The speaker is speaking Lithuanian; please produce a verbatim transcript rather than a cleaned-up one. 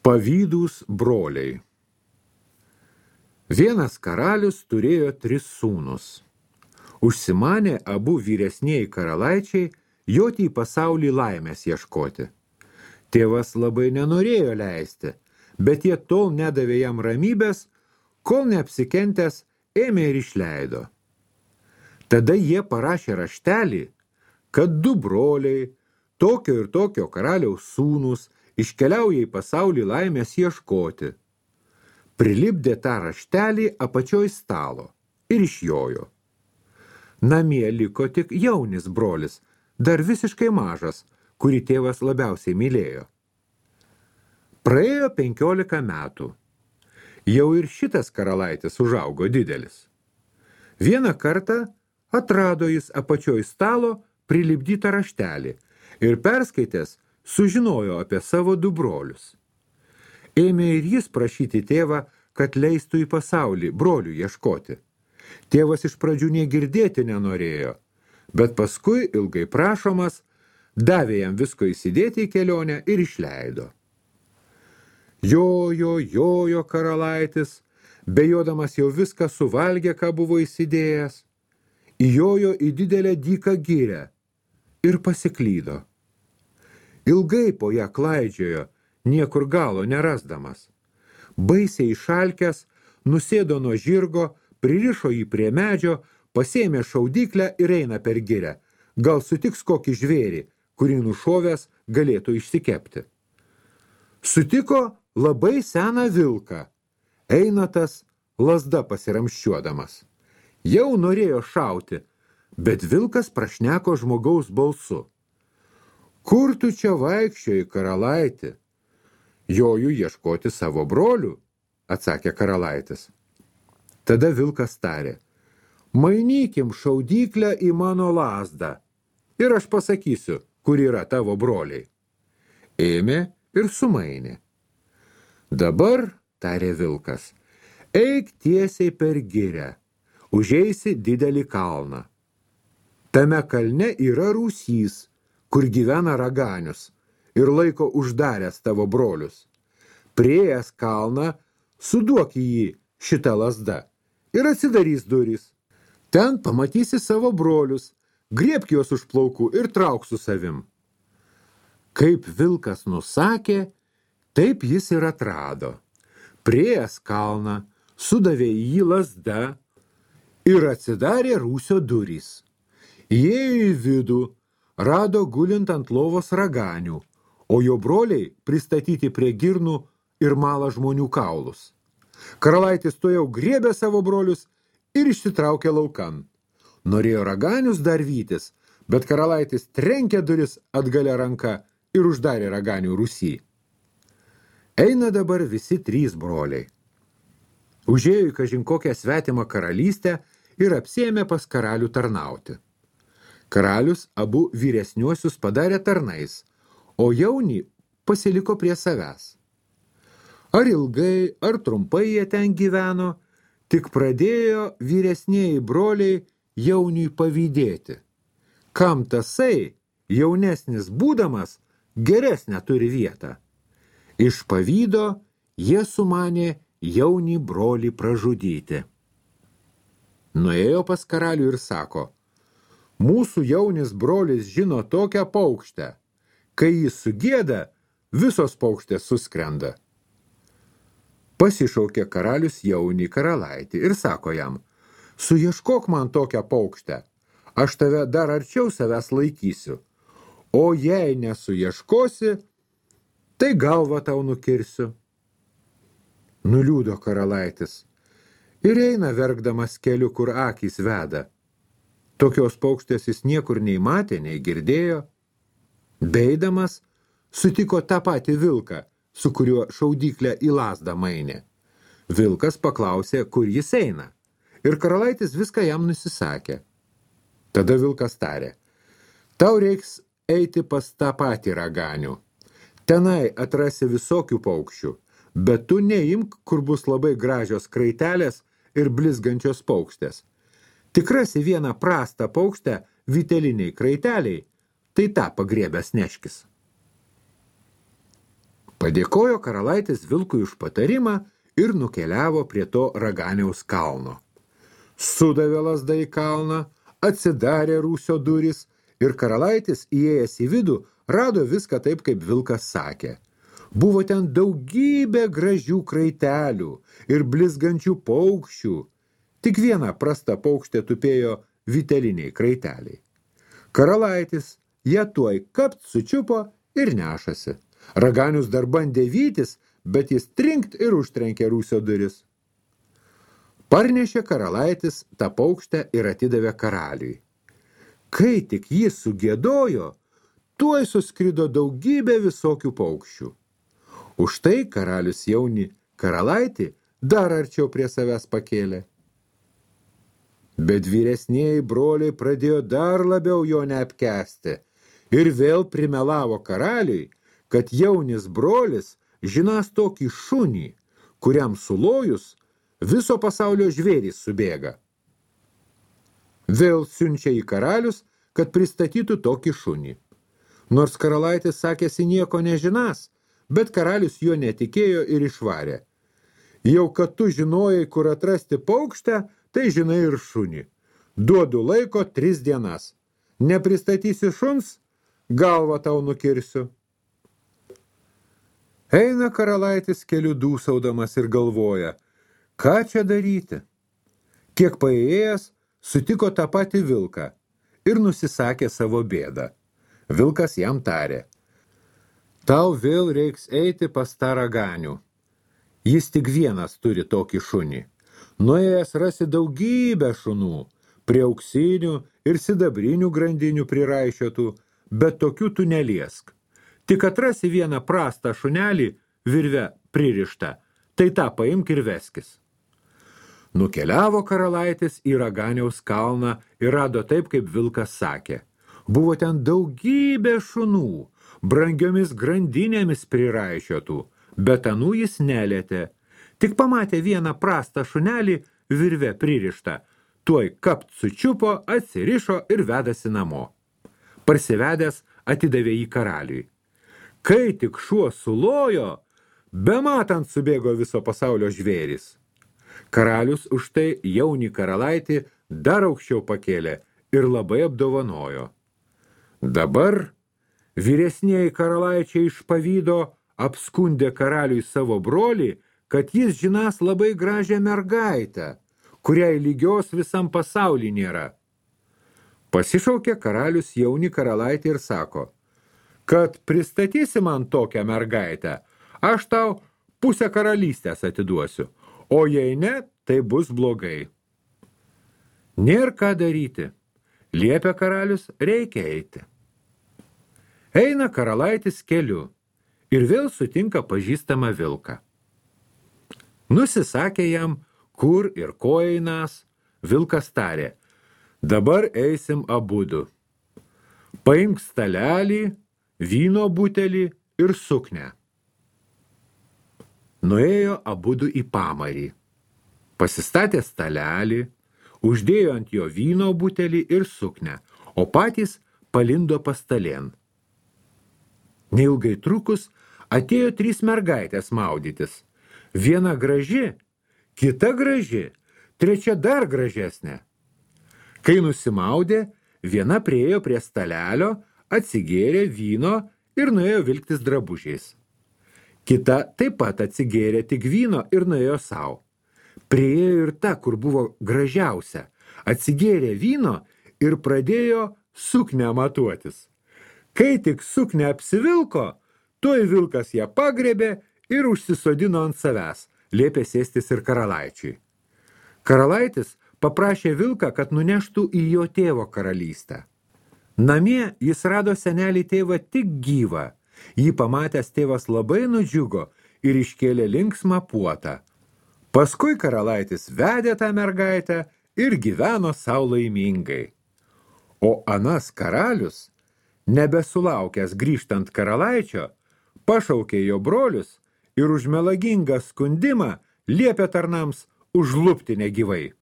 Pavydūs broliai. Vienas karalius turėjo tris sūnus. Užsimanė abu vyresnieji karalaičiai joti į pasaulį laimės ieškoti. Tėvas labai nenorėjo leisti, bet jie tol nedavė jam ramybės, kol neapsikentęs ėmė ir išleido. Tada jie parašė raštelį, kad du broliai, tokio ir tokio karaliaus sūnus, iškeliauja į pasaulį laimės ieškoti. Prilipdė tą raštelį apačioj stalo ir išjojo. Namie liko tik jaunis brolis, dar visiškai mažas, kurį tėvas labiausiai mylėjo. Praėjo penkiolika metų. Jau ir šitas karalaitis užaugo didelis. Vieną kartą atrado jis apačioj stalo prilipdytą raštelį ir perskaitęs sužinojo apie savo du brolius. Ėmė ir jis prašyti tėvą, kad leistų į pasaulį brolių ieškoti. Tėvas iš pradžių negirdėti nenorėjo, bet paskui ilgai prašomas davė jam visko įsidėti į kelionę ir išleido. Jojo, jojo karalaitis, bejodamas jau viską suvalgė, ką buvo įsidėjęs, įjojo į didelę dyką girią ir pasiklydo. Ilgai po ją klaidžiojo, niekur galo nerasdamas. Baisiai išalkęs, nusėdo nuo žirgo, pririšo jį prie medžio, pasėmė šaudyklę ir eina per girią. Gal sutiks kokį žvėrį, kurį nušovęs galėtų išsikepti. Sutiko labai seną vilką. Eina tas lazda pasiramščiuodamas. Jau norėjo šauti, bet vilkas prašneko žmogaus balsu. Kur tu čia vaikščioji, karalaiti? Joju ieškoti savo brolių, atsakė karalaitis. Tada vilkas tarė, mainykim šaudyklę į mano lazdą ir aš pasakysiu, kur yra tavo broliai. Ėmė ir sumainė. Dabar, tarė vilkas, eik tiesiai per girią, užeisi didelį kalną. Tame kalne yra rūsys, kur gyvena raganius ir laiko uždaręs tavo brolius. Priėjęs kalną, suduok į jį šitą lazdą ir atsidarys durys. Ten pamatysi savo brolius, griebk juos už plaukų ir trauk su savim. Kaip vilkas nusakė, taip jis ir atrado. Priėjęs kalną, sudavė į jį lazdą ir atsidarė rūsio durys. Įėjo į vidų, rado gulint ant lovos raganių, o jo broliai pristatyti prie girnų ir mala žmonių kaulus. Karalaitis tuojau griebė savo brolius ir išsitraukė laukan. Norėjo raganius dar vytis, bet karalaitis trenkė duris atgalia ranka ir uždarė raganių rūsy. Eina dabar visi trys broliai. Užėjo į kažin kokią svetimą karalystę ir apsiėmė pas karalių tarnauti. Karalius abu vyresniuosius padarė tarnais, o jaunį pasiliko prie savęs. Ar ilgai, ar trumpai jie ten gyveno, tik pradėjo vyresnieji broliai jauniui pavydėti. Kam tasai, jaunesnis būdamas, geresnę turi vietą. Iš pavydo jie sumanė jaunį brolį pražudyti. Nuėjo pas karalių ir sako, mūsų jaunis brolis žino tokią paukštę, kai jis sugieda, visos paukštės suskrenda. Pasišaukė karalius jaunį karalaitį ir sako jam, suieškok man tokią paukštę, aš tave dar arčiau savęs laikysiu, o jei nesuieškosi, tai galvą tau nukirsiu. Nuliūdo karalaitis ir eina verkdamas keliu, kur akys veda. Tokios paukštės jis niekur nei matė, nei girdėjo. Beidamas sutiko tą patį vilką, su kuriuo šaudyklę į lazdą mainė. Vilkas paklausė, kur jis eina, ir karalaitis viską jam nusisakė. Tada vilkas tarė, tau reiks eiti pas tą patį raganių. Tenai atrasi visokių paukščių, bet tu neimk, kur bus labai gražios kraitelės ir blizgančios paukštės. Tik rasi vieną prastą paukštę vyteliniai kraiteliai, tai tą pagriebęs neškis. Padėkojo karalaitis vilkui už patarimą ir nukeliavo prie to Raganiaus kalno. Sudavė lazdą į kalną, atsidarė rūsio durys ir karalaitis, įėjęs į vidų, rado viską taip, kaip vilkas sakė. Buvo ten daugybė gražių kraitelių ir blizgančių paukščių. Tik viena prasta paukštė tupėjo vyteliniai kraiteliai. Karalaitis ją tuoj kapt sučiupo ir nešasi. Raganius dar bandė vytis, bet jis trinkt ir užtrenkė rūsio duris. Parnešė karalaitis tą paukštę ir atidavė karaliui. Kai tik jis sugiedojo, tuoj suskrido daugybė visokių paukščių. Už tai karalius jaunį karalaitį dar arčiau prie savęs pakėlė. Bet vyresnieji broliai pradėjo dar labiau jo neapkęsti ir vėl primelavo karaliui, kad jaunis brolis žinas tokį šunį, kuriam sulojus viso pasaulio žvėrys subėga. Vėl siunčia į karalius, kad pristatytų tokį šunį. Nors karalaitis sakėsi nieko nežinas, bet karalius jo netikėjo ir išvarė. Jau kad tu žinojai, kur atrasti paukštę, tai žinai ir šunį. Duodu laiko tris dienas. Nepristatysi šuns, galvą tau nukirsiu. Eina karalaitis keliu dūsaudamas ir galvoja, ką čia daryti? Kiek paėjęs, sutiko tą patį vilką ir nusisakė savo bėdą. Vilkas jam tarė, tau vėl reiks eiti pas tą Raganių. Jis tik vienas turi tokį šunį. Nuėjęs rasi daugybę šunų, prie auksinių ir sidabrinių grandinių priraišiotų, bet tokių tu neliesk. Tik atrasi vieną prastą šunelį virve pririštą, tai tą paimk ir veskis. Nukeliavo karalaitis į Raganiaus kalną ir rado taip, kaip vilkas sakė. Buvo ten daugybė šunų, brangiomis grandinėmis priraišiotų, bet anų jis nelietė. Tik pamatė vieną prastą šunelį virve pririštą, tuoj kapt sučiupo, atsirišo ir vedasi namo. Parsivedęs atidavė jį karaliui. Kai tik šuo sulojo, bematant subėgo viso pasaulio žvėris. Karalius už tai jaunį karalaitį dar aukščiau pakėlė ir labai apdovanojo. Dabar vyresnieji karalaičiai iš pavydo apskundė karaliui savo brolį, kad jis žinas labai gražią mergaitę, kuriai lygios visam pasauly nėra. Pasišaukė karalius jaunį karalaitį ir sako, kad pristatysi man tokią mergaitę, aš tau pusę karalystės atiduosiu, o jei ne, tai bus blogai. Nėr ką daryti, liepia karalius, reikia eiti. Eina karalaitis keliu ir vėl sutinka pažįstamą vilką. Nusisakė jam, kur ir ko einas, vilkas tarė, dabar eisim abudu. Paimk stalelį, vyno butelį ir suknę. Nuėjo abudu į pamarį. Pasistatė stalelį, uždėjo ant jo vyno butelį ir suknę, o patys palindo pastalėn. Neilgai trukus atėjo trys mergaitės maudytis. Viena graži, kita graži, trečia dar gražesnė. Kai nusimaudė, viena priėjo prie stalelio, atsigėrė vyno ir nuėjo vilktis drabužiais. Kita taip pat atsigėrė tik vyno ir nuėjo savo. Priėjo ir ta, kur buvo gražiausia, atsigėrė vyno ir pradėjo suknę matuotis. Kai tik suknę apsivilko, tuoj vilkas ją pagrebė ir užsisodino ant savęs, liepė sėstis ir karalaičiui. Karalaitis paprašė vilką, kad nuneštų į jo tėvo karalystę. Namie jis rado senelį tėvą tik gyvą. Jį pamatęs tėvas labai nudžiugo ir iškėlė linksmą puotą. Paskui karalaitis vedė tą mergaitę ir gyveno sau laimingai. O anas karalius, nebesulaukęs grįžtant karalaičio, pašaukė jo brolius ir už melagingą skundimą liepė tarnams užlupti negyvai.